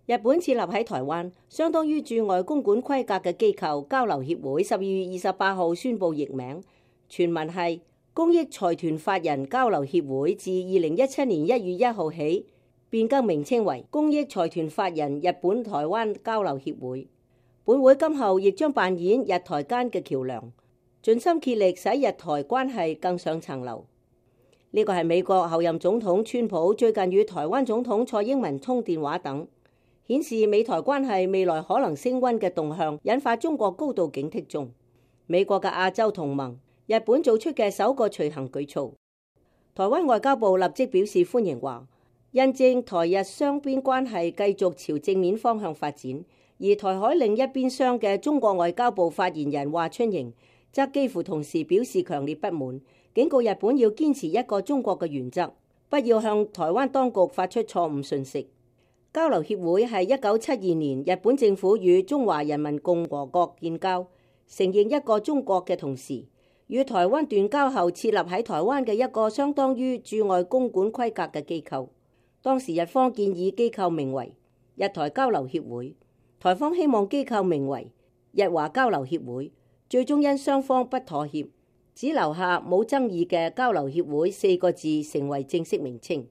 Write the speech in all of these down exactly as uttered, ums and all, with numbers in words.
日本設立喺台灣，相當於駐外公館規格嘅機構交流協會，十二月二十八號宣布易名，全文係公益財團法人交流協會，自二零一七年一月一號起變更名稱為公益財團法人日本台灣交流協會。本會今後亦將扮演日台間嘅橋樑，盡心竭力使日台關係更上層樓。呢個係美國後任總統川普最近與台灣總統蔡英文通電話等，顯示美台關係未來可能升溫嘅動向，引發中國高度警惕中。美國嘅亞洲同盟日本做出嘅首個隨行舉措，台灣外交部立即表示歡迎，話印證台日雙邊關係繼續朝正面方向發展。而台海另一邊廂嘅中國外交部發言人華春瑩則幾乎同時表示強烈不滿，警告日本要堅持一個中國嘅原則，不要向台灣當局發出錯誤訊息。交流協會係一九七二年日本政府與中華人民共和國建交，承認一個中國嘅同時，與台灣斷交後設立喺台灣嘅一個相當於駐外公館規格嘅機構。當時日方建議機構名為日台交流協會，台方希望機構名為日華交流協會，最終因雙方不妥協，只留下冇爭議嘅交流協會四個字成為正式名稱。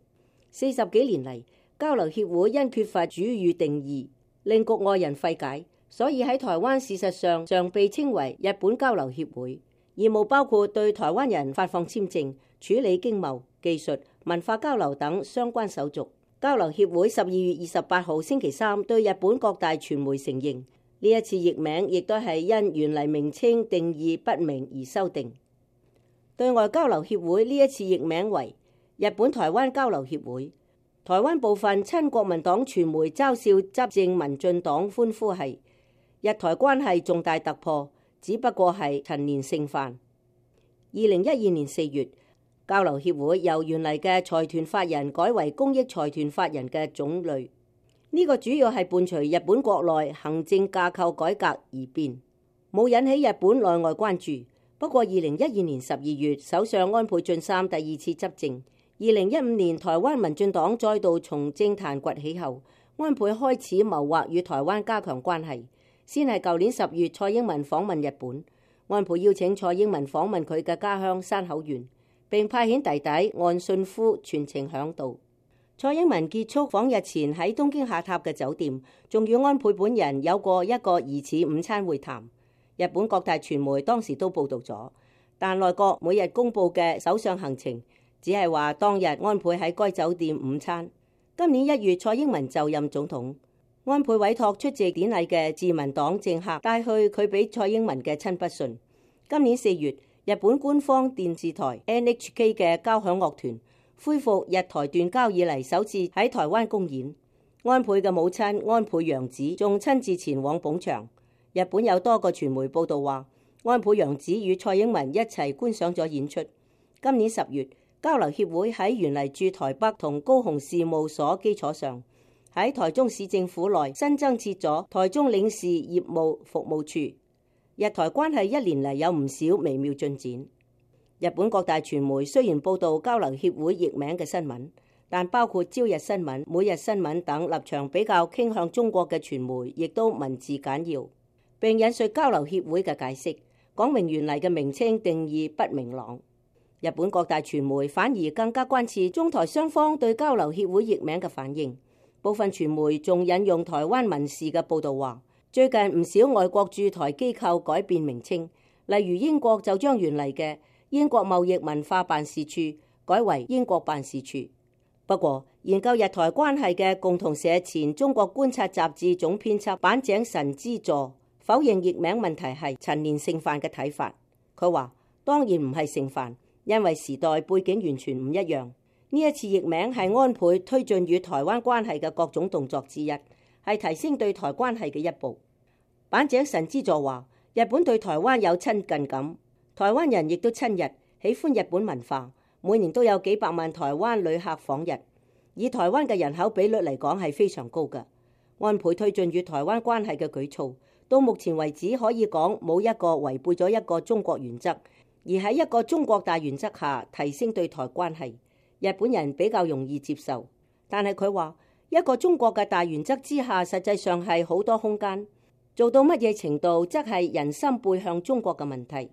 四十幾年嚟，交流協會因缺乏主語定義，令局外人費解，所以喺台灣事實上常被稱為日本交流協會。業務包括對台灣人發放簽證、處理經貿、技術、文化交流等相關手續。交流協會十二月二十八號星期三對日本各大傳媒承認，呢一次譯名亦都係因原嚟名稱定義不明而修訂。對外交流協會呢一次譯名為日本台灣交流協會。台灣部分親國民黨傳媒嘲笑執政民進黨，歡呼係日台關係重大突破，只不過係陳年盛飯。二零一二年四月，交流協會由原嚟嘅財團法人改為公益財團法人嘅種類，呢個主要係伴隨日本國內行政架構改革而變，冇引起日本內外關注。不過二零一二年十二月，首相安倍晉三第二次執政，二零一五年台灣民進黨再度從政壇崛起後，安倍開始謀劃與台灣加強關係。先係舊年十月蔡英文訪問日本，安倍邀請蔡英文訪問佢嘅家鄉山口縣，並派遣弟弟岸信夫全程響導。蔡英文結束訪日前喺東京下榻嘅酒店，仲與安倍本人有過一個疑似午餐會談。日本各大傳媒當時都報道咗，但內閣每日公佈嘅首相行程只係話當日安倍喺該酒店午餐。今年一月蔡英文就任總統，安倍委託出席典禮嘅自民黨政客帶去佢俾蔡英文嘅親筆信。今年四月，日本官方電視台 N H K 嘅交響樂團恢復日台斷交以嚟首次喺台灣公演，安倍嘅母親安倍洋子仲親自前往捧場。日本有多個傳媒報道話，安倍洋子與蔡英文一齊觀賞咗演出。今年十月，交流協會喺原嚟駐台北同高雄事務所基礎上，喺台中市政府內新增設咗台中領事業務服務處。日台關係一年嚟有唔少微妙進展。日本各大傳媒雖然報道交流協會譯名嘅新聞，但包括朝日新聞、每日新聞等立場比較傾向中國嘅傳媒，亦都文字簡要，並引述交流協會嘅解釋，講明原嚟嘅名稱定義不明朗。日本各大傳媒反而更加關切中台雙方對交流協會譯名嘅反應。部分傳媒仲引用台灣民視嘅報導話，最近唔少外國駐台機構改變名稱，例如英國就將原嚟嘅英國貿易文化辦事處改為英國辦事處。不過，研究日台關係嘅共同社前中國觀察雜誌總編輯坂井神之助否認譯名問題係陳年盛飯嘅睇法。佢話：當然唔係盛飯，因為時代背景完全唔一樣。呢一次譯名係安倍推進與台灣關係嘅各種動作之一，係提升對台關係嘅一步。坂井神之助話：日本對台灣有親近感，台灣人亦都親日，喜歡日本文化，每年都有幾百萬台灣旅客訪日，以台灣嘅人口比率嚟講係非常高嘅。安倍推進與台灣關係嘅舉措，到目前為止可以講冇一個違背咗一個中國原則，而喺一個中國大原則下提升對台關係，日本人比較容易接受。但係佢話，一個中國嘅大原則之下，實際上係好多空間。做到乜嘢程度，則係人心背向中國嘅問題。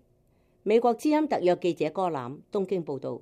美國之音特約記者柯攬東京報道。